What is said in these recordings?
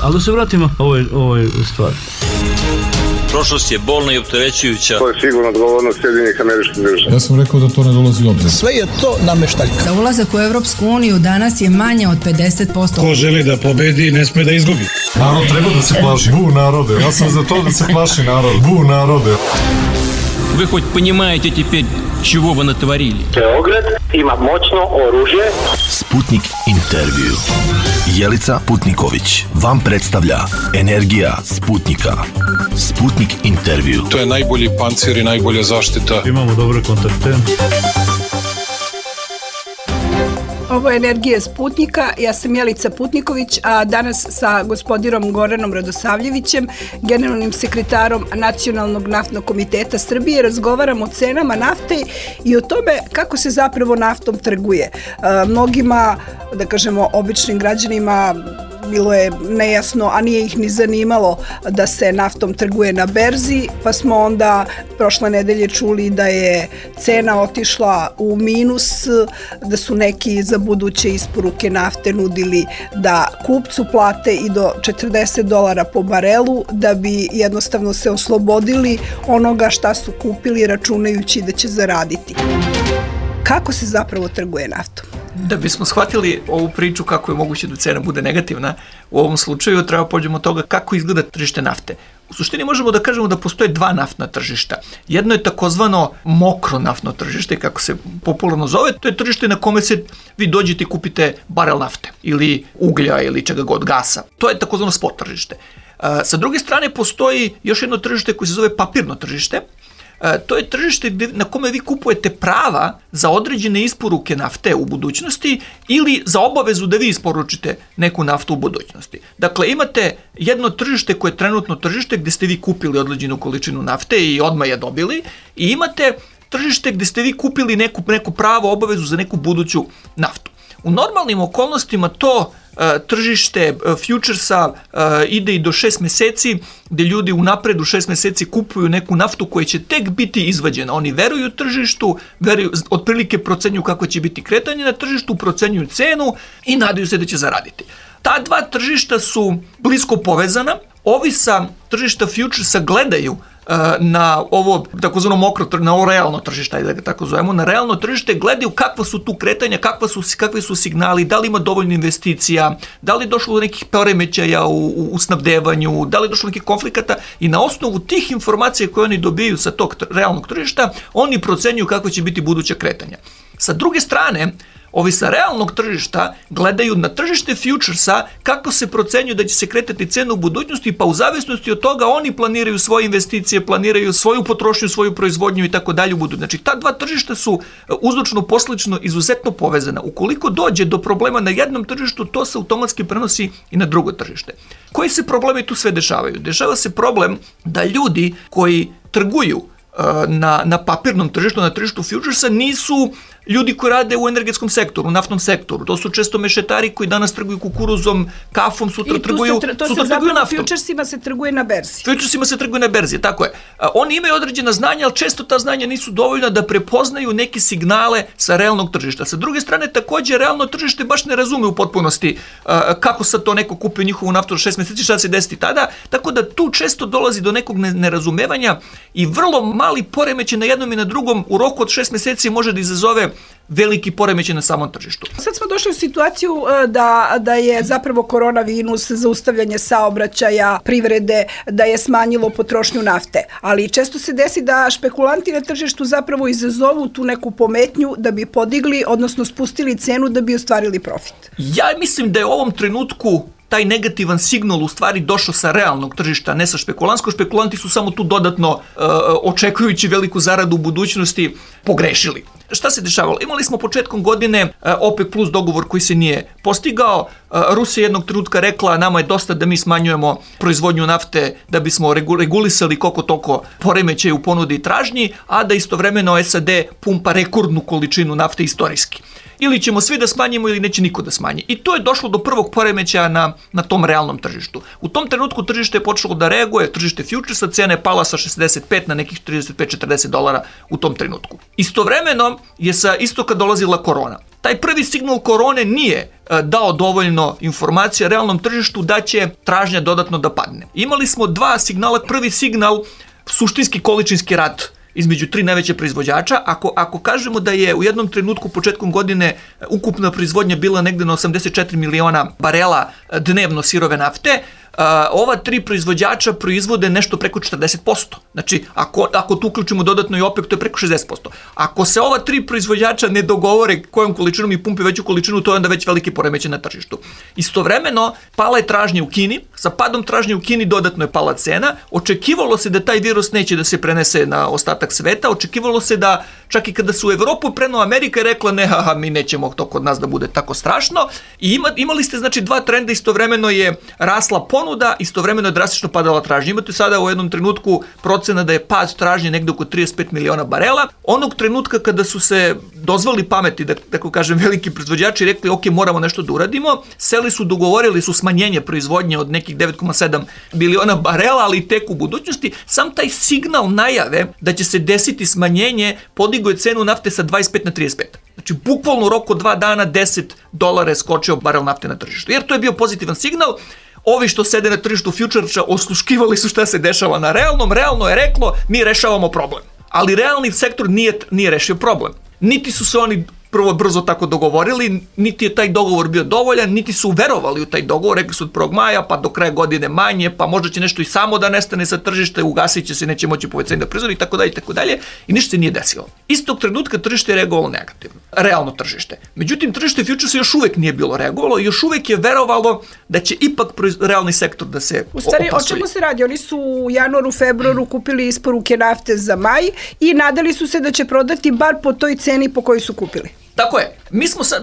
Ali da se vratimo ovoj stvari. Prošlost je bolna i opterećujuća. To je sigurno odgovornost Sjedinjenih Američkih Država. Ja sam rekao da to ne dolazi u obzir. Sve je to nameštaljka. Za ulazak u Evropsku uniju danas je manje od 50%. Ko želi da pobedi, ne sme da izgubi. Narod treba da se plaši. Bu narode. Ja sam za to da se plaši narod. Bu narode. Вы хоть понимаете теперь, чего вы натворили? Beograd ima moćno oružje. Sputnik intervju. Jelica Putniković vam predstavlja Energija Sputnika. Sputnik intervju. To je najbolji pancir i najbolja zaštita. Imamo dobre kontakte. Ovo je Energija Sputnika, ja sam Jelica Putniković, a danas sa gospodinom Goranom Radosavljevićem, generalnim sekretarom Nacionalnog naftnog komiteta Srbije, razgovaramo o cenama nafte i o tome kako se zapravo naftom trguje. Mnogima, da kažemo, običnim građanima bilo je nejasno, a nije ih ni zanimalo da se naftom trguje na berzi, pa smo onda prošle nedelje čuli da je cena otišla u minus, da su neki za buduće isporuke nafte nudili da kupcu plate i do $40 po barelu, da bi jednostavno se oslobodili onoga šta su kupili računajući da će zaraditi. Kako se zapravo trguje naftom? Da bismo shvatili ovu priču kako je moguće da cena bude negativna, u ovom slučaju treba pođemo od toga kako izgleda tržište nafte. U suštini možemo da kažemo da postoje dva naftna tržišta. Jedno je takozvano mokro naftno tržište, kako se popularno zove, to je tržište na kome se vi dođete i kupite barel nafte ili uglja ili čega god, gasa. To je takozvano spot tržište. Sa druge strane postoji još jedno tržište koje se zove papirno tržište. To je tržište na kome vi kupujete prava za određene isporuke nafte u budućnosti ili za obavezu da vi isporučite neku naftu u budućnosti. Dakle, imate jedno tržište koje je trenutno tržište gdje ste vi kupili određenu količinu nafte i odmah je dobili, i imate tržište gdje ste vi kupili neku pravo obavezu za neku buduću naftu. U normalnim okolnostima to tržište futuresa ide i do 6 mjeseci, gdje ljudi unapred u 6 mjeseci kupuju neku naftu koja će tek biti izvađena. Oni veruju tržištu, otprilike procenjuju kako će biti kretanje na tržištu, procenjuju cenu i nadaju se da će zaraditi. Ta dva tržišta su blisko povezana. Ovi sa tržišta futuresa gledaju na ovo takozvano mokro, na ovo realno tržište, ajde da ga tako zovemo, na realno tržište gledaju kakva su tu kretanja, kakvi su signali, da li ima dovoljno investicija, da li je došlo do nekih poremećaja u snabdevanju, da li je došlo do nekih konflikata, i na osnovu tih informacija koje oni dobiju sa tog realnog tržišta, oni procenjuju kako će biti buduća kretanja. Sa druge strane, ovi sa realnog tržišta gledaju na tržište futuresa kako se procenjuju da će se kretati cena u budućnosti, pa u zavisnosti od toga oni planiraju svoje investicije, planiraju svoju potrošnju, svoju proizvodnju i tako dalje u budućnosti. Znači, ta dva tržišta su uzročno posljedično izuzetno povezana. Ukoliko dođe do problema na jednom tržištu, to se automatski prenosi i na drugo tržište. Koji se problemi tu sve dešavaju? Dešava se problem da ljudi koji trguju na papirnom tržištu, na tržištu futuresa, nisu ljudi koji rade u energetskom sektoru, u naftnom sektoru. To su često mešetari koji danas trguju kukuruzom, kafom, sutra trguju naftom. Futuresima se trguje na berzi. Futuresima se trguje na berzi, tako je. Oni imaju određena znanja, ali često ta znanja nisu dovoljna da prepoznaju neke signale sa realnog tržišta. Sa druge strane, također, realno tržište baš ne razume u potpunosti kako sad to neko kupio njihovu naftu od 6 mjeseci, šta se desiti tada, tako da tu često dolazi do nekog nerazumevanja i vrlo mali poremećaj na jednom i na drugom u roku od 6 mjeseci može da izazove veliki poremećaj na samom tržištu. Sad smo došli u situaciju da je zapravo koronavirus, zaustavljanje saobraćaja, privrede, da je smanjilo potrošnju nafte. Ali često se desi da špekulanti na tržištu zapravo izazovu tu neku pometnju da bi podigli, odnosno spustili cenu da bi ostvarili profit. Ja mislim da je u ovom trenutku taj negativan signal u stvari došao sa realnog tržišta, ne sa špekulantskog. Špekulanti su samo tu dodatno, očekujući veliku zaradu u budućnosti, pogrešili. Šta se dešavalo? Imali smo početkom godine OPEC plus dogovor koji se nije postigao. Rusija jednog trenutka rekla nama je dosta da mi smanjujemo proizvodnju nafte da bismo regulisali koliko toliko poremećaje u ponudi i tražnji, a da istovremeno SAD pumpa rekordnu količinu nafte istorijski. ili ćemo svi da smanjimo ili neće niko da smanji. I to je došlo do prvog poremećaja na tom realnom tržištu. U tom trenutku tržište je počelo da reaguje, tržište futuresa, cena je pala sa 65 na nekih $35-40 u tom trenutku. Istovremeno je sa istoka dolazila korona. Taj prvi signal korone nije dao dovoljno informacija realnom tržištu da će tražnja dodatno da padne. Imali smo dva signala. Prvi signal, suštinski količinski rat između tri najveće proizvođača. Ako kažemo da je u jednom trenutku početkom godine ukupna proizvodnja bila negde na 84 miliona barela dnevno sirove nafte, ova tri proizvođača proizvode nešto preko 40%. Znači, ako tu uključimo dodatno i OPEC, to je preko 60%. Ako se ova tri proizvođača ne dogovore kojom količinom i pumpe veću količinu, to je onda već veliki poremećaj na tržištu. Istovremeno, pala je tražnja u Kini, sa padom tražnje u Kini dodatno je pala cena, očekivalo se da taj virus neće da se prenese na ostatak sveta, očekivalo se da čak i kada su u Evropu prenula Amerika je rekla ne, mi nećemo to kod nas da bude tako strašno. I imali ste znači dva trenda, istovremeno je rasla ponuda, istovremeno je drastično padala tražnja. Imate sada u jednom trenutku procena da je pad tražnje negde oko 35 miliona barela. Onog trenutka kada su se dozvali pameti, da tako kažem, veliki proizvođači rekli ok, moramo nešto da uradimo, seli su, dogovorili su smanjenje proizvodnje od nekih 9,7 miliona barela, ali tek u budućnosti. Sam taj signal najave da će se desiti smanjenje podigao je cenu nafte sa 25 na 35. Znači, bukvalno u roku 2 dana $10 je skočio barel nafte na tržištu. Jer to je bio pozitivan signal. Ovi što sede na tržištu futuresa osluškivali su šta se dešava na realnom. Realno je reklo, mi rešavamo problem. Ali realni sektor nije rešio problem. Niti su se oni prvo brzo tako dogovorili, niti je taj dogovor bio dovoljan, niti su verovali u taj dogovor, rekli su od 1. maja, pa do kraja godine manje, pa možda će nešto i samo da nestane sa tržišta, ugasit će se, neće moći povećanje da proizvodi, i tako dalje, i ništa se nije desilo. Istog trenutka tržište je reagovalo negativno, realno tržište. Međutim, tržište futuresa još uvek nije bilo reagovalo, još uvek je verovalo da će ipak realni sektor da se opasuje. U stvari, o čemu se radi? Oni su u januaru, februaru kupili isporuke nafte za maj i nadali su se da će prodati bar po toj ceni po kojoj su kupili. Tako je.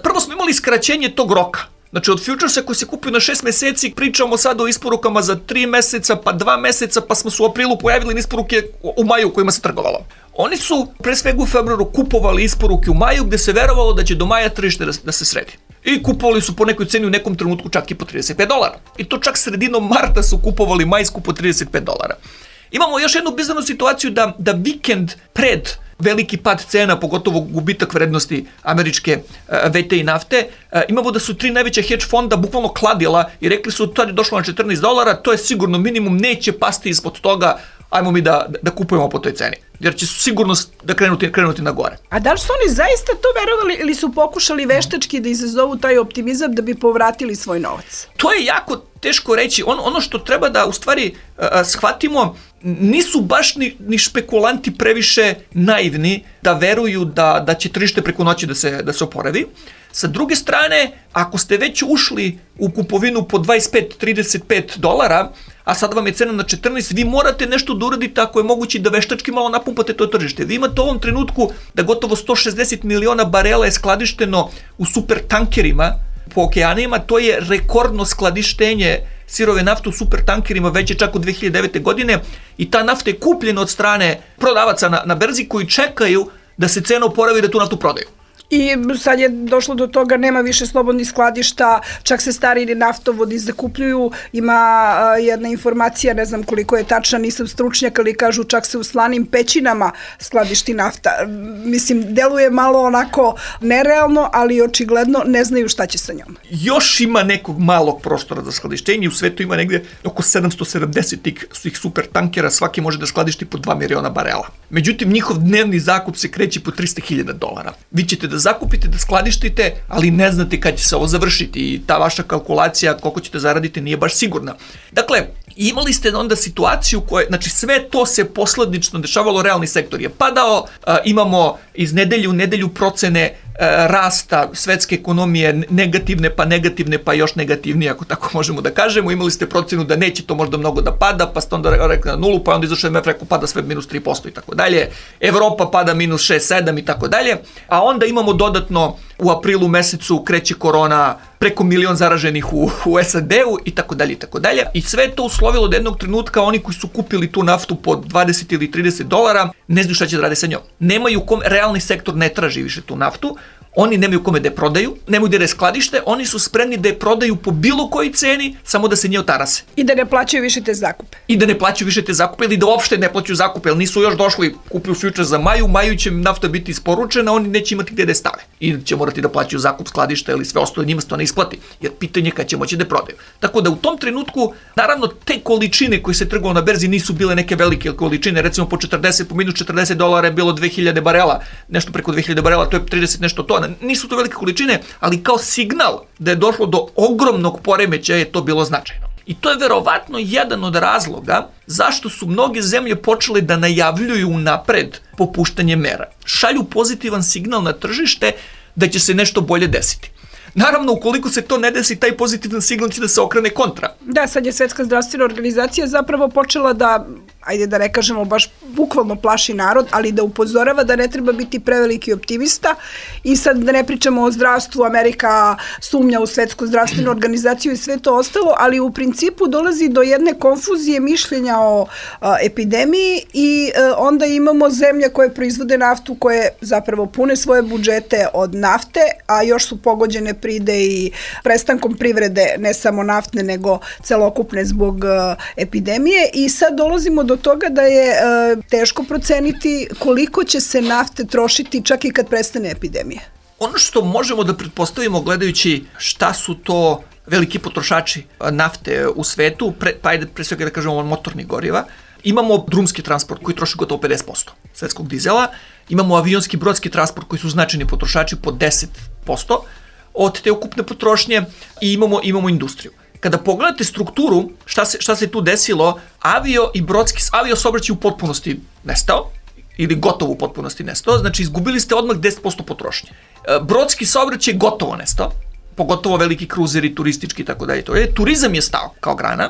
Prvo smo imali skraćenje tog roka. Znači, od futuresa koji se kupio na 6 meseci, pričamo sad o isporukama za 3 meseca, pa 2 meseca, pa smo se u aprilu pojavili isporuke u maju kojima se trgovalo. Oni su pre svega u februaru kupovali isporuke u maju gde se verovalo da će do maja tržište da se sredi. I kupovali su po nekoj ceni u nekom trenutku čak i po $35. I to čak sredinom marta su kupovali majsku po $35. Imamo još jednu bizarnu situaciju da vikend pred veliki pad cena, pogotovo gubitak vrednosti američke VTI nafte, imamo da su 3 najveća hedge fonda bukvalno kladila i rekli su to je došlo na $14, to je sigurno minimum, neće pasti ispod toga, ajmo mi da kupujemo po toj ceni. Jer će sigurno da krenuti na gore. A da li su oni zaista to verovali ili su pokušali veštački da izazovu taj optimizam da bi povratili svoj novac? To je jako teško reći. Ono što treba da u stvari shvatimo, nisu baš ni špekulanti previše naivni da veruju da će tržište preko noći da se oporavi. Sa druge strane, ako ste već ušli u kupovinu po $25-35, a sad vam je cena na 14, vi morate nešto da uradite ako je moguće da veštački malo napumpate to tržište. Vi imate u ovom trenutku da gotovo 160 miliona barela je skladišteno u super tankerima po okeanima, to je rekordno skladištenje sirove nafte u super tankerima već je čak od 2009. godine i ta nafta je kupljena od strane prodavaca na berzi koji čekaju da se cena oporavi i da tu naftu prodaju. I sad je došlo do toga, nema više slobodnih skladišta, čak se stari naftovodi zakupljuju, ima jedna informacija, ne znam koliko je tačna, nisam stručnjak, ali kažu čak se u slanim pećinama skladišti nafta. Mislim, deluje malo onako nerealno, ali očigledno ne znaju šta će sa njom. Još ima nekog malog prostora za skladištenje, u svetu ima negde oko 770 tih super tankera, svaki može da skladišti po 2 miliona barela. Međutim, njihov dnevni zakup se kreće po $300.000. Vi ćete da zakupite, da skladištite, ali ne znate kad će se ovo završiti i ta vaša kalkulacija koliko ćete zaraditi nije baš sigurna. Dakle, imali ste onda situaciju koja, znači sve to se posledično dešavalo, realni sektor je padao, imamo iz nedelje u nedelju procene rasta svetske ekonomije negativne pa još negativnije, ako tako možemo da kažemo. Imali ste procenu da neće to možda mnogo da pada, pa ste onda rekli na nulu, pa onda izašao MMF rekao pada sve minus 3% i tako dalje. Evropa pada minus 6-7 i tako dalje. A onda imamo dodatno u aprilu mesecu kreće korona, preko 1 milion zaraženih u SAD-u i tako dalje i tako dalje. I sve to uslovilo da jednog trenutka oni koji su kupili tu naftu po $20 ili $30 ne znaju šta će da rade sa njom. Nemaju realni sektor ne traži više tu naftu. Oni nemaju kome da je prodaju, nemaju da je skladište, oni su spremni da je prodaju po bilo kojoj ceni, samo da se nje otarase. I da ne plaćaju više te zakupe. Ili da uopšte ne plaćaju zakupe, jer nisu još došli, kupuju future za maju će im nafta biti isporučena, oni neće imati gde da je stave. I će morati da plaćaju zakup skladišta ili sve ostalo, njima se to ne isplati, jer pitanje kad će moći da prodaju. Tako da u tom trenutku, naravno, te količine koje se trgovalo na berzi nisu bile neke velike količine, recimo po minus $40 je bilo 2000 barela, nešto preko 2000 barela, to je 30 nešto tona. Nisu to velike količine, ali kao signal da je došlo do ogromnog poremećaja je to bilo značajno. I to je verovatno jedan od razloga zašto su mnoge zemlje počele da najavljuju napred popuštanje mera. Šalju pozitivan signal na tržište da će se nešto bolje desiti. Naravno, ukoliko se to ne desi, taj pozitivan signal će da se okrene kontra. Da, sad je Svetska zdravstvena organizacija zapravo počela da, ajde da ne kažemo baš bukvalno plaši narod, ali da upozorava da ne treba biti preveliki optimista i sad da ne pričamo o zdravstvu, Amerika sumnja u Svetsku zdravstvenu organizaciju i sve to ostalo, ali u principu dolazi do jedne konfuzije mišljenja o epidemiji i onda imamo zemlje koje proizvode naftu, koje zapravo pune svoje budžete od nafte, a još su pogođene pride i prestankom privrede, ne samo naftne, nego celokupne zbog epidemije i sad dolazimo do toga da je teško proceniti koliko će se nafte trošiti čak i kad prestane epidemija. Ono što možemo da pretpostavimo gledajući šta su to veliki potrošači nafte u svetu, pre svega da kažemo motornih goriva, imamo drumski transport koji troši gotovo 50% svetskog dizela, imamo avionski brodski transport koji su značajni potrošači po 10% od te ukupne potrošnje i imamo industriju. Kada pogledate strukturu, šta se tu desilo, avio saobraćaj u potpunosti nestao, ili gotovo u potpunosti nestao, znači izgubili ste odmah 10% potrošnje. Brodski saobraćaj gotovo nestao, pogotovo veliki kruzeri, turistički i tako dalje. Turizam je stao kao grana.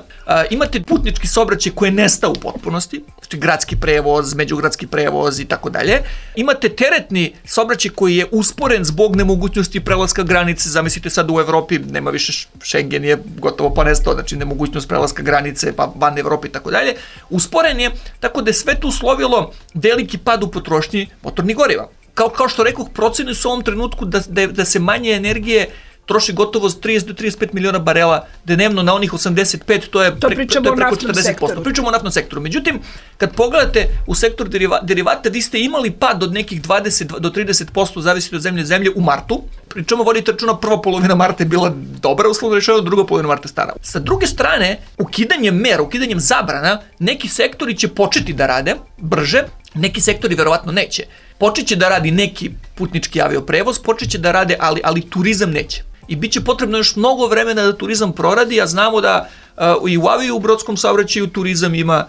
Imate putnički saobraćaj koji je nestao u potpunosti, znači gradski prevoz, međugradski prevoz i tako dalje. Imate teretni saobraćaj koji je usporen zbog nemogućnosti prelaska granice. Zamislite sad u Evropi nema više, Schengen je gotovo pa nestao, znači nemogućnost prelaska granice pa van Evrope i tako dalje. Usporen je, tako da je sve tu uslovilo veliki pad u potrošnji motornih goriva. Kao što rekoh, procene su u ovom trenutku da se manje energije troši gotovo 30 do 35 miliona barela dnevno na onih 85, to je preko 40%. Pričamo o naftnom sektoru. Međutim, kad pogledate u sektor derivata, vi ste imali pad od nekih 20 do 30%, zavisiti od zemlje u martu. Pričamo, vodite računa, prva polovina marta je bila dobra uslovno rešena, druga polovina marta stara. Sa druge strane, ukidanjem zabrana, neki sektori će početi da rade brže, neki sektori verovatno neće. Počeće da radi neki putnički avioprevoz, počeće da rade, ali turizam neće. I bit će potrebno još mnogo vremena da turizam proradi, a znamo da i u avio u brodskom saobraćaju turizam ima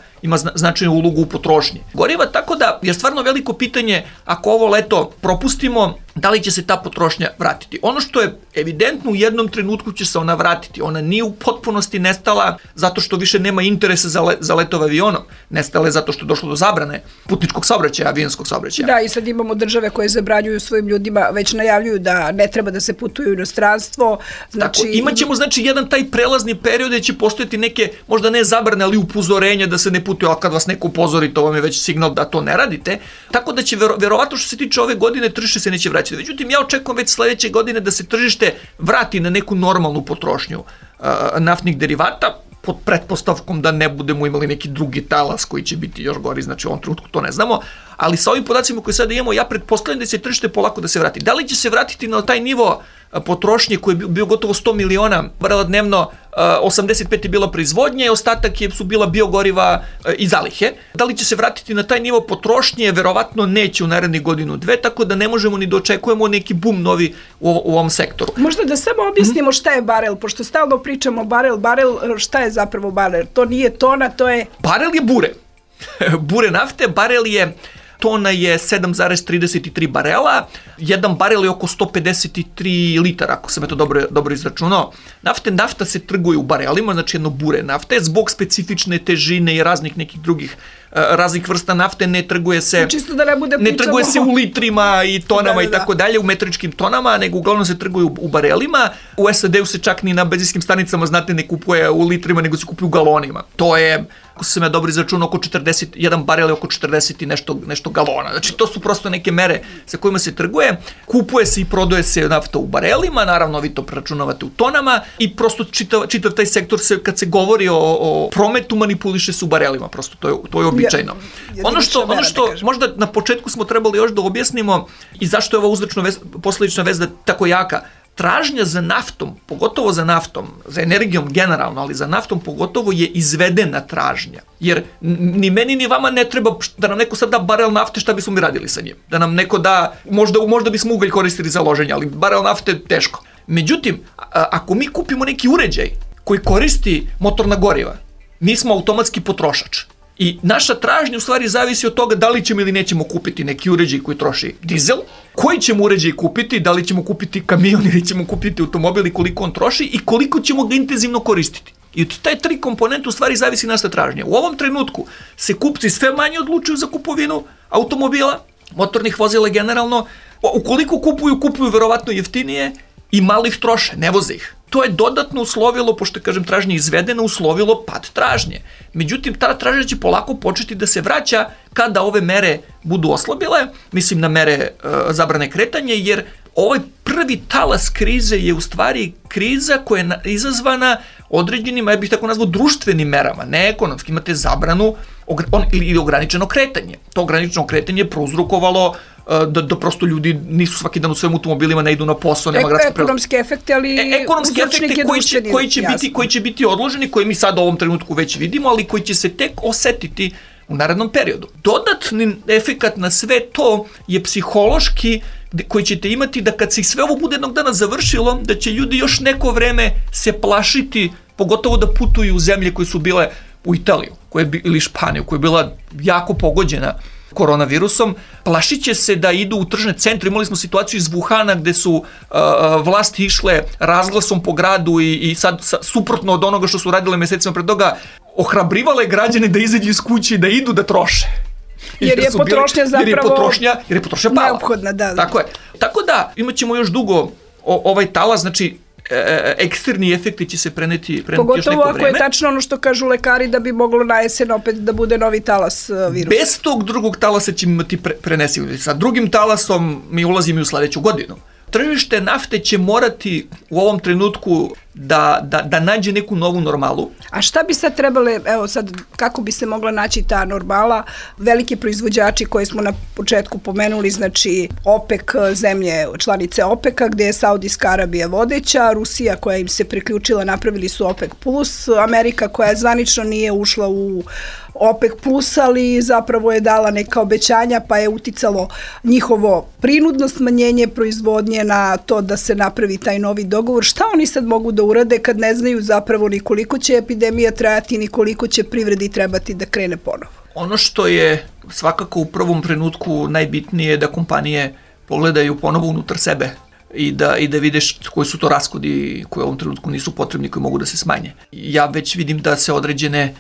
značajnu ulogu u potrošnji goriva, tako da je stvarno veliko pitanje ako ovo leto propustimo, da li će se ta potrošnja vratiti. Ono što je evidentno, u jednom trenutku će se ona vratiti. Ona nije u potpunosti nestala zato što više nema interesa za letove avionom. Nestala je zato što je došlo do zabrane putničkog saobraćaja, avionskog saobraćaja. Da, i sad imamo države koje zabranjuju svojim ljudima, već najavljuju da ne treba da se putuju u inostranstvo. Znači, imaćemo jedan taj prelazni period gde će postojati neke, možda ne zabrane, ali upozorenja da se ne putuje, ali kad vas neko upozori, to vam je već signal da to ne radite. Tako da će verovatno što se tiče ove godine tržište se neće vraćati. Međutim, ja očekujem već sledeće godine da se tržište vrati na neku normalnu potrošnju naftnih derivata, pod pretpostavkom da ne budemo imali neki drugi talas koji će biti još gori, znači u ovom trenutku to ne znamo, ali sa ovim podacima koje sada imamo, ja pretpostavljam da će tržište polako da se vrati. Da li će se vratiti na taj nivo potrošnje koji je bio gotovo 100 miliona barela dnevno, 85 je bila proizvodnje, ostatak su bila biogoriva i zalihe. Da li će se vratiti na taj nivo potrošnje? Verovatno neće u narednih godinu, dve, tako da ne možemo ni da očekujemo neki bum novi u ovom sektoru. Možda da samo objasnimo šta je barel, pošto stalno pričamo barel, šta je zapravo barel? To nije tona, to je... Barel je bure. Bure nafte, tona je 7,33 barela, jedan barel je oko 153 litara, ako sam to dobro izračunao. Nafta se trguje u barelima, znači jedno bure nafte, zbog specifične težine i raznih nekih drugih raznih vrsta nafte, ne trguje se, čisto da ne bude ne trguje se u litrima i tonama i tako dalje, u metričkim tonama, nego uglavnom se trguju u barelima. U SAD-u se čak ni na benzinskim stanicama, znate, ne kupuje u litrima, nego se kupuje u galonima. To je, ako sam ja dobro izračunao, oko 40, jedan barel je oko 40 i nešto galona. Znači, to su prosto neke mere sa kojima se trguje. Kupuje se i prodaje se nafta u barelima, naravno vi to preračunavate u tonama i prosto čitav taj sektor se, kad se govori o prometu, manipuliše se u barelima, prosto to je običajno. Ono što možda na početku smo trebali još da objasnimo i zašto je ova uzročno-posledična veza tako jaka. Tražnja za naftom, pogotovo za naftom, za energijom generalno, ali za naftom pogotovo je izvedena tražnja. Jer ni meni ni vama ne treba da nam neko sad da barel nafte, šta bismo mi radili sa njim. Da nam neko da, možda bismo ugalj koristili za loženje, ali barel nafte teško. Međutim, ako mi kupimo neki uređaj koji koristi motorna goriva, mi smo automatski potrošač. I naša tražnja u stvari zavisi od toga da li ćemo ili nećemo kupiti neki uređaj koji troši dizel, koji ćemo uređaj kupiti, da li ćemo kupiti kamion ili ćemo kupiti automobil i koliko on troši i koliko ćemo ga intenzivno koristiti. I od taj 3 komponente u stvari zavisi naša tražnja. U ovom trenutku se kupci sve manje odlučuju za kupovinu automobila, motornih vozila generalno. Ukoliko kupuju verovatno jeftinije i malo ih troše, ne voze ih. To je dodatno uslovilo, pošto kažem tražnje izvedeno, uslovilo pad tražnje. Međutim, ta tražnja će polako početi da se vraća kada ove mere budu oslabile, mislim na mere zabrane kretanja, jer ovaj prvi talas krize je u stvari kriza koja je izazvana određenim, ja bih tako nazvao, društvenim merama, ne ekonomski. Imate zabranu ili ograničeno kretanje. To ograničeno kretanje je prouzrokovalo da prosto ljudi nisu svaki dan u svojim automobilima, ne idu na posao, nema gradske prevoze. Ekonomski efekti, ali ekonomski efekti koji će biti odloženi, koje mi sad u ovom trenutku već vidimo, ali koji će se tek osetiti u narednom periodu. Dodatni efekat na sve to je psihološki, koji ćete imati da kad se sve ovo bude jednog dana završilo, da će ljudi još neko vreme se plašiti, pogotovo da putuju u zemlje koje su bile u Italiju ili Španiju, koja je bila jako pogođena koronavirusom, plašit će se da idu u tržne centre. Imali smo situaciju iz Wuhana gde su vlasti išle razglasom po gradu i sad suprotno od onoga što su radile mesecima pred toga, ohrabrivale građane da izađu iz kuće i da idu da troše. Jer je potrošnja zapravo pala. Neophodna, da. Tako je. Tako da imat ćemo još dugo ovaj talas, znači eksterni efekti će se preneti još neko vreme. Pogotovo ako je tačno ono što kažu lekari da bi moglo na jesen opet da bude novi talas virusa. Bez tog drugog talasa ćemo imati prenesivosti. Sa drugim talasom mi ulazimo u sledeću godinu. Tržište nafte će morati u ovom trenutku da nađe neku novu normalu. A šta bi sad trebale, evo sad, kako bi se mogla naći ta normala? Veliki proizvođači koji smo na početku pomenuli, znači OPEC, zemlje članice OPEC-a, gde je Saudijska Arabija vodeća, Rusija koja im se priključila, napravili su OPEC+, Amerika koja zvanično nije ušla u OPEC+, ali zapravo je dala neka obećanja, pa je uticalo njihovo prinudno smanjenje proizvodnje na to da se napravi taj novi dogovor. Šta oni sad mogu da urade kad ne znaju zapravo ni koliko će epidemija trajati, ni koliko će privredi trebati da krene ponovo? Ono što je svakako u prvom trenutku najbitnije je da kompanije pogledaju ponovo unutar sebe i da videš koji su to rashodi koji u ovom trenutku nisu potrebni, koji mogu da se smanje. Ja već vidim da se određene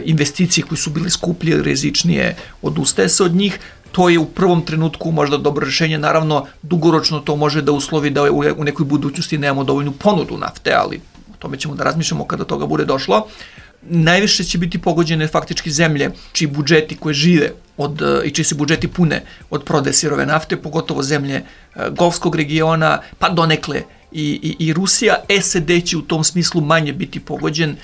investicije koje su bile skuplje, rizičnije, odustaje se od njih. To je u prvom trenutku možda dobro rešenje, naravno dugoročno to može da uslovi da u nekoj budućnosti nemamo dovoljnu ponudu nafte, ali o tome ćemo da razmišljamo kada toga bude došlo. Najviše će biti pogođene faktički zemlje čiji budžeti koje žive i čiji se budžeti pune od prodaje sirove nafte, pogotovo zemlje Golfskog regiona, pa donekle i Rusija. SAD će u tom smislu manje biti pogođen.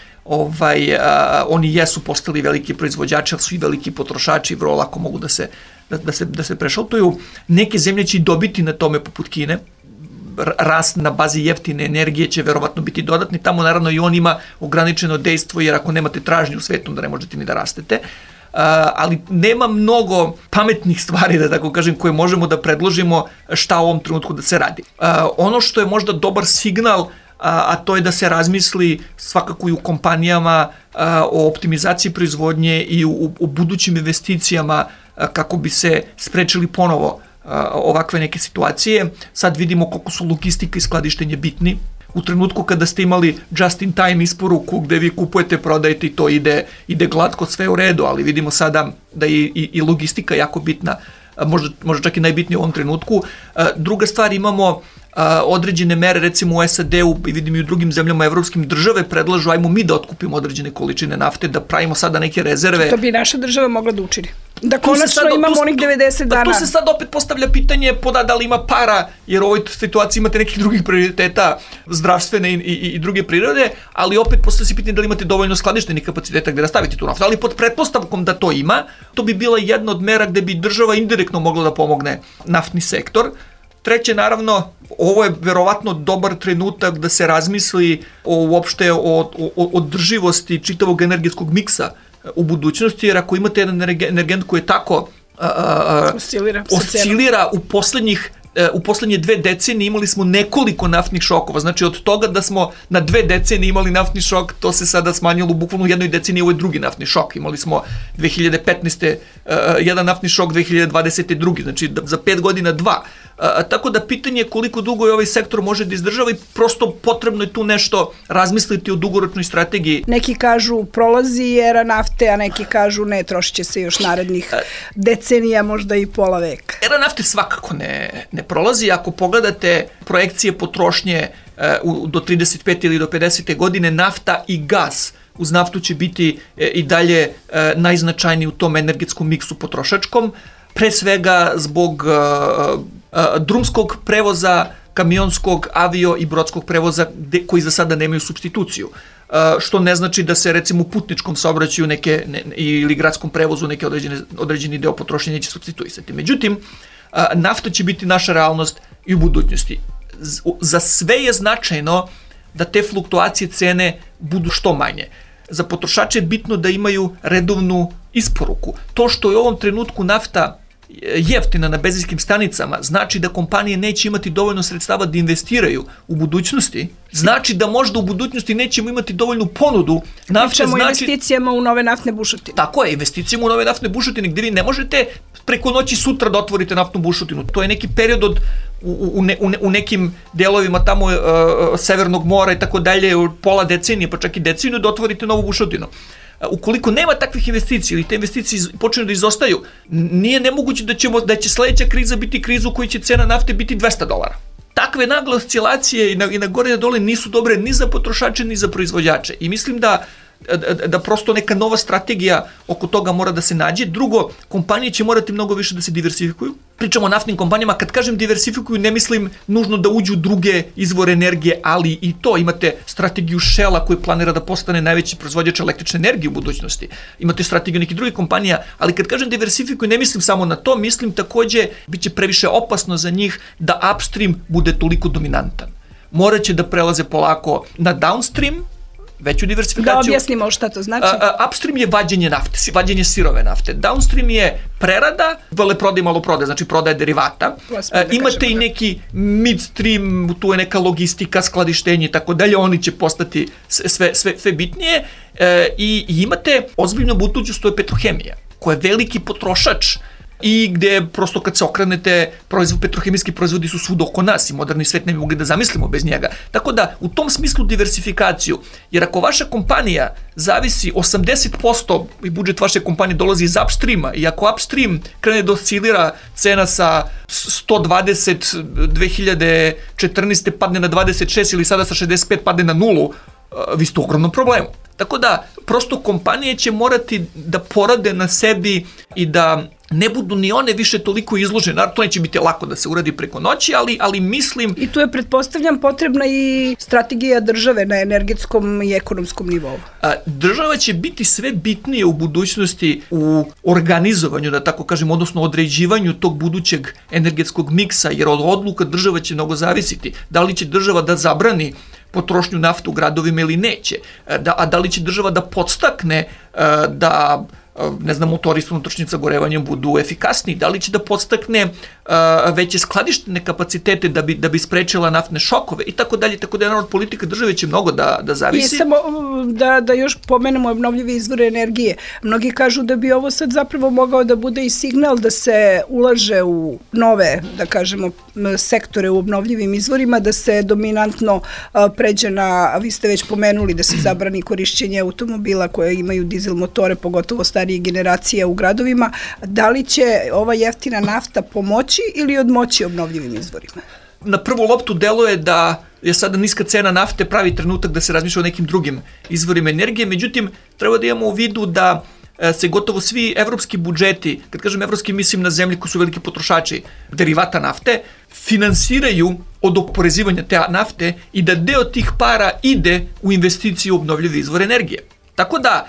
Oni jesu postali veliki proizvođači, ali su i veliki potrošači, vrlo lako mogu da se prešaltuju. Neke zemlje će dobiti na tome poput Kine. Rast na bazi jeftine energije će verovatno biti dodatni. Tamo naravno i on ima ograničeno dejstvo, jer ako nemate tražnju u svetu, da ne možete ni da rastete. Ali nema mnogo pametnih stvari, da tako kažem, koje možemo da predložimo šta u ovom trenutku da se radi. Ono što je možda dobar signal, a to je da se razmisli svakako i u kompanijama o optimizaciji proizvodnje i u budućim investicijama kako bi se sprečili ponovo ovakve neke situacije. Sad vidimo koliko su logistika i skladištenje bitni, u trenutku kada ste imali just in time isporuku gde vi kupujete, prodajete i to ide glatko, sve u redu, ali vidimo sada da je i logistika jako bitna, možda čak i najbitnije u ovom trenutku. Druga stvar, imamo određene mere, recimo u SAD-u i vidim i u drugim zemljama evropskim, države predlažu ajmo mi da otkupimo određene količine nafte, da pravimo sada neke rezerve. To bi naša država mogla da učini. Da konačno imamo onih 90 dana. Tu se sad opet postavlja pitanje da li ima para, jer u ovoj situaciji imate nekih drugih prioriteta, zdravstvene i druge prirode, ali opet postavlja se pitanje da li imate dovoljno skladištenih kapaciteta gde da stavite tu naftu. Ali pod pretpostavkom da to ima, to bi bila jedna od mera gde bi država indirektno mogla da pomogne naftni sektor. Treće, naravno, ovo je verovatno dobar trenutak da se razmisli uopšte o održivosti čitavog energetskog miksa u budućnosti, jer ako imate jedan energent koji je tako oscilira u poslednje 2 decenije imali smo nekoliko naftnih šokova. Znači od toga da smo na 2 decenije imali naftni šok, to se sada smanjilo bukvalno u jednoj deceniji, ovo je drugi naftni šok. Imali smo 2015. Jedan naftni šok, 2020. drugi, znači za 5 godina 2. Tako da pitanje je koliko dugo je ovaj sektor može da izdržava i prosto potrebno je tu nešto razmisliti o dugoročnoj strategiji. Neki kažu prolazi era nafte, a neki kažu ne, trošit će se još narednih decenija, možda i pola veka. Era nafte svakako ne prolazi. Ako pogledate projekcije potrošnje do 35. ili do 50. godine, nafta i gas uz naftu će biti i dalje najznačajniji u tom energetskom miksu potrošačkom, pre svega zbog drumskog prevoza, kamionskog, avio i brodskog prevoza koji za sada nemaju supstituciju. Što ne znači da se recimo u putničkom saobraćaju ili gradskom prevozu neke određeni deo potrošnje neće supstituisati. Međutim, nafta će biti naša realnost i u budućnosti. Za sve je značajno da te fluktuacije cene budu što manje. Za potrošače je bitno da imaju redovnu isporuku. To što je u ovom trenutku nafta jeftina na benzinskim stanicama, znači da kompanije neće imati dovoljno sredstava da investiraju u budućnosti, znači da možda u budućnosti nećemo imati dovoljnu ponudu nafte. Pričamo o investicijama u nove naftne bušotine. Tako je, investicijama u nove naftne bušotine gde vi ne možete preko noći sutra da otvorite naftnu bušotinu. To je neki period u nekim delovima tamo Severnog mora i tako dalje, pola decenije, pa čak i deceniju da otvorite novu bušotinu. Ukoliko nema takvih investicija ili te investicije počinju da izostaju, nije nemoguće da će sledeća kriza biti kriza u kojoj će cena nafte biti $200. Takve nagle oscilacije i na gore i na dole nisu dobre ni za potrošače ni za proizvođače. I mislim da prosto neka nova strategija oko toga mora da se nađe. Drugo, kompanije će morati mnogo više da se diversifikuju. Pričamo o naftnim kompanijama, kad kažem diversifikuju, ne mislim nužno da uđu druge izvore energije, ali i to. Imate strategiju Shella koji planira da postane najveći proizvođač električne energije u budućnosti. Imate strategiju nekih drugih kompanija, ali kad kažem diversifikuju, ne mislim samo na to, mislim takođe bit će previše opasno za njih da upstream bude toliko dominantan. Moraće da prelaze polako na downstream, veću diversifikaciju. Da objasnimo šta to znači. Upstream je vađenje nafte, vađenje sirove nafte. Downstream je prerada, veleprodaja i maloprodaja, znači prodaja derivata. Imate i neki midstream, tu je neka logistika, skladištenje i tako dalje, oni će postati sve bitnije. I imate ozbiljno budućnost, to je petrohemija, koja je veliki potrošač i gde prosto kad se okrenete, petrohemijski proizvodi su svuda oko nas i moderni svet ne bi mogli da zamislimo bez njega. Tako da, u tom smislu diversifikaciju, jer ako vaša kompanija zavisi 80% i budžet vaše kompanije dolazi iz upstreama i ako upstream krene da oscilira cena sa 120 2014. padne na 26 ili sada sa 65 padne na 0, vi ste u ogromnom problemu. Tako da, prosto kompanije će morati da porade na sebi i da ne budu ni one više toliko izložene. Naravno, to neće biti lako da se uradi preko noći, ali mislim... I tu je, pretpostavljam, potrebna i strategija države na energetskom i ekonomskom nivou. Država će biti sve bitnije u budućnosti u organizovanju, da tako kažem, odnosno određivanju tog budućeg energetskog miksa, jer od odluka država će mnogo zavisiti. Da li će država da zabrani potrošnju nafte u gradovima ili neće, a da li će država da podstakne da motori s unutrašnjim sagorevanjem budu efikasniji, da li će da podstakne veće skladištene kapacitete da bi sprečila naftne šokove i tako dalje, tako da od politike države će mnogo da zavisi. I samo da još pomenemo obnovljive izvore energije. Mnogi kažu da bi ovo sad zapravo mogao da bude i signal da se ulaže u nove, da kažemo, sektore u obnovljivim izvorima, da se dominantno pređe na, vi ste već pomenuli, da se zabrani korišćenje automobila koje imaju dizel motore, pogotovo starije generacije u gradovima. Da li će ova jeftina nafta pomoći ili odmoći obnovljivim izvorima? Na prvu loptu deluje da je sada niska cena nafte pravi trenutak da se razmišlja o nekim drugim izvorima energije, međutim, treba da imamo u vidu da se gotovo svi evropski budžeti, kad kažem evropski, mislim na zemlje koji su veliki potrošači derivata nafte, finansiraju od oporezivanja te nafte i da deo tih para ide u investiciju u obnovljive izvore energije. Tako da,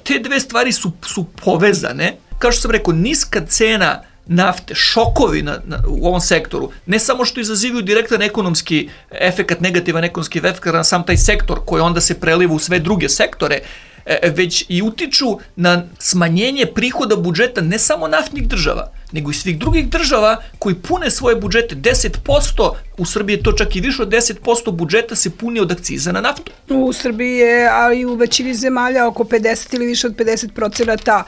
te dve stvari su povezane. Kao što sam rekao, niska cena nafte, šokovi u ovom sektoru, ne samo što izazivaju direktan ekonomski efekat, negativan ekonomski efekat na sam taj sektor koji onda se preliva u sve druge sektore, već i utiču na smanjenje prihoda budžeta ne samo naftnih država, nego i svih drugih država koji pune svoje budžete. 10%, u Srbiji je to čak i više od 10% budžeta se puni od akciza na naftu. U Srbiji je, ali i u većini zemalja, oko 50 ili više od 50%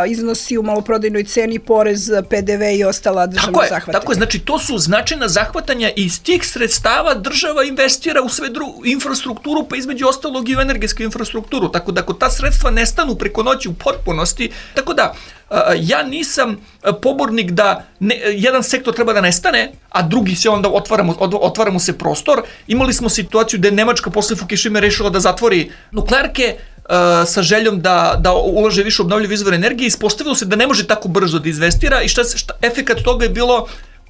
iznosi u maloprodajnoj ceni porez, PDV i ostala državna zahvatanja. Tako je, znači to su značajna zahvatanja i iz tih sredstava država investira u sve infrastrukturu, pa između ostalog i u energetsku infrastrukturu. Tako da ako ta sredstva nestanu preko noći u potpunosti, tako da ja nisam pobornik da jedan sektor treba da nestane, a drugi se onda otvara mu se prostor. Imali smo situaciju da je Nemačka posle Fukushime rešila da zatvori nuklearke sa željom da ulaže više obnovljive izvore energije. Ispostavilo se da ne može tako brzo da investira i efekat toga je bilo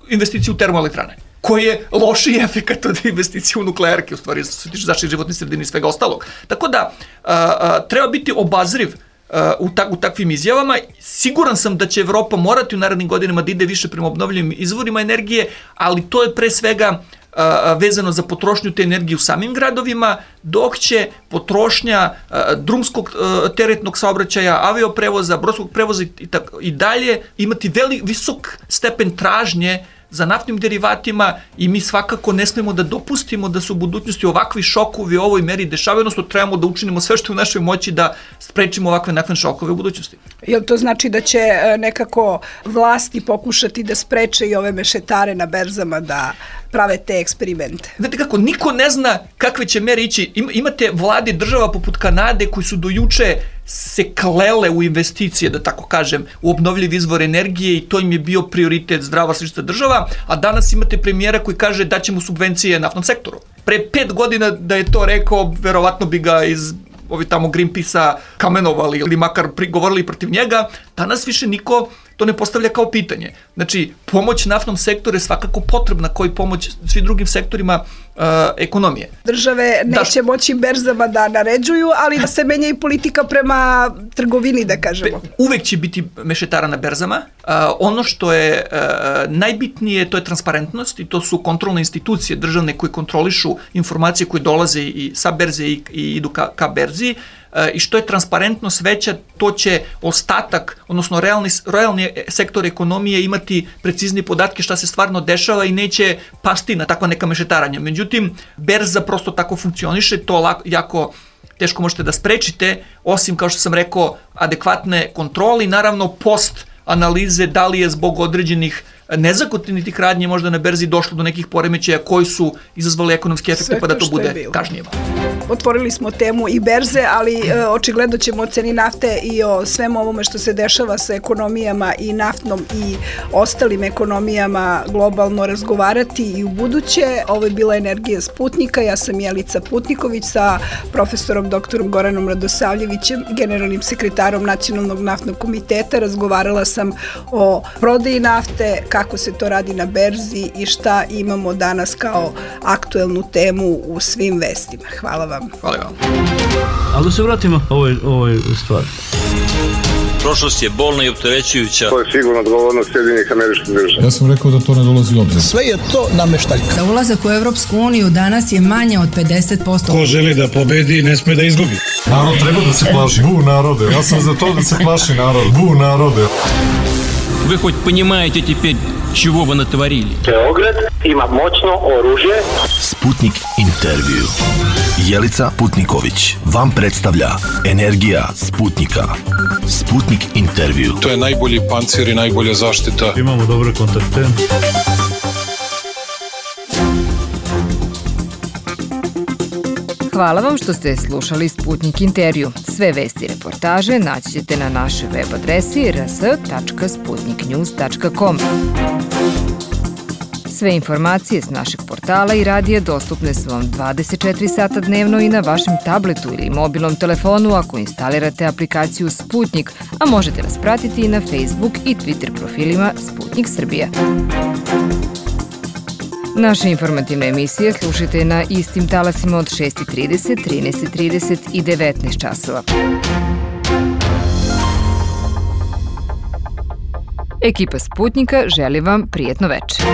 investicije u termoelektrane, koji je lošiji efekat od investicije u nuklearke, u stvari što se tiče zaštite životne sredine i svega ostalog. Tako da treba biti obazriv u takvim izjavama. Siguran sam da će Evropa morati u narednim godinama da ide više prema obnovljivim izvorima energije, ali to je pre svega vezano za potrošnju te energije u samim gradovima, dok će potrošnja drumskog teretnog saobraćaja, avioprevoza, brodskog prevoza i dalje imati visok stepen tražnje za naftnim derivatima i mi svakako ne smemo da dopustimo da se u budućnosti ovakvi šokovi u ovoj meri dešavaju, odnosno trebamo da učinimo sve što je u našoj moći da sprečimo ovakve naftne šokove u budućnosti. Jel to znači da će nekako vlasti pokušati da spreče i ove mešetare na berzama da prave te eksperimente? Znate kako, niko ne zna kakve će mere ići. Imate vlade država poput Kanade koji su do juče se klele u investicije, da tako kažem, u obnovljivi izvor energije i to im je bio prioritet zdrava slična država, a danas imate premijera koji kaže da ćemo subvencije naftnom sektoru. Pre 5 godina da je to rekao, verovatno bi ga iz tamo Greenpeace-a kamenovali ili makar govorili protiv njega. Danas više niko to ne postavlja kao pitanje. Znači, pomoć naftnom sektoru je svakako potrebna kao i pomoć svim drugim sektorima ekonomije. Države neće moći berzama da naređuju, ali da se menja i politika prema trgovini, da kažemo. Uvek će biti mešetara na berzama. Ono što je najbitnije, to je transparentnost i to su kontrolne institucije državne koje kontrolišu informacije koje dolaze i sa berze i idu ka berzi. I što je transparentnost veća, to će ostatak, odnosno realni sektor ekonomije imati precizni podatke šta se stvarno dešava i neće pasti na takva neka mešetaranja. Međutim, berza prosto tako funkcioniše, to jako teško možete da sprečite, osim, kao što sam rekao, adekvatne kontrole i naravno post analize da li je zbog određenih nezakonitih radnji možda na berzi došlo do nekih poremećaja koji su izazvali ekonomski efekte pa da to bude kažnjivo. Otvorili smo temu i berze, ali očigledno ćemo o ceni nafte i o svemu ovome što se dešava sa ekonomijama i naftnom i ostalim ekonomijama globalno razgovarati i u buduće. Ovo je bila Energija Sputnika, ja sam Jelica Putniković sa profesorom doktorom Goranom Radosavljevićem, generalnim sekretarom Nacionalnog naftnog komiteta. Razgovarala sam o prodaji nafte, kako se to radi na berzi i šta imamo danas kao aktuelnu temu u svim vestima. Hvala vam. Hvala vam. Ali da se vratimo ovoj stvari. Prošlost je bolna i opterećujuća. To je sigurno odgovornost Sjedinjenih Američkih Država. Ja sam rekao da to ne dolazi u obzir. Sve je to nameštaljka. Za ulazak u Evropsku uniju danas je manje od 50%. Ko želi da pobedi, ne sme da izgubi. Narod treba da se plaši. Bu narode. Ja sam za to da se plaši narod. Bu narode. Вы хоть понимаете теперь, чего вы натворили. Beograd ima moćno oružje. Sputnik intervju. Jelica Putniković vam predstavlja Energija Sputnika. Sputnik intervju. To je najbolji pancir i najbolja zaštita. Imamo dobre kontakte. Hvala vam što ste slušali Sputnik intervju. Sve vesti i reportaže naći ćete na našoj web adresi rs.sputniknews.com. Sve informacije s našeg portala i radija dostupne su vam 24 sata dnevno i na vašem tabletu ili mobilnom telefonu ako instalirate aplikaciju Sputnik, a možete nas pratiti i na Facebook i Twitter profilima Sputnik Srbija. Naše informativne emisije slušajte na istim talasima od 6:30, 13:30 i 19 časova. Ekipa Sputnika želi vam prijetno večer.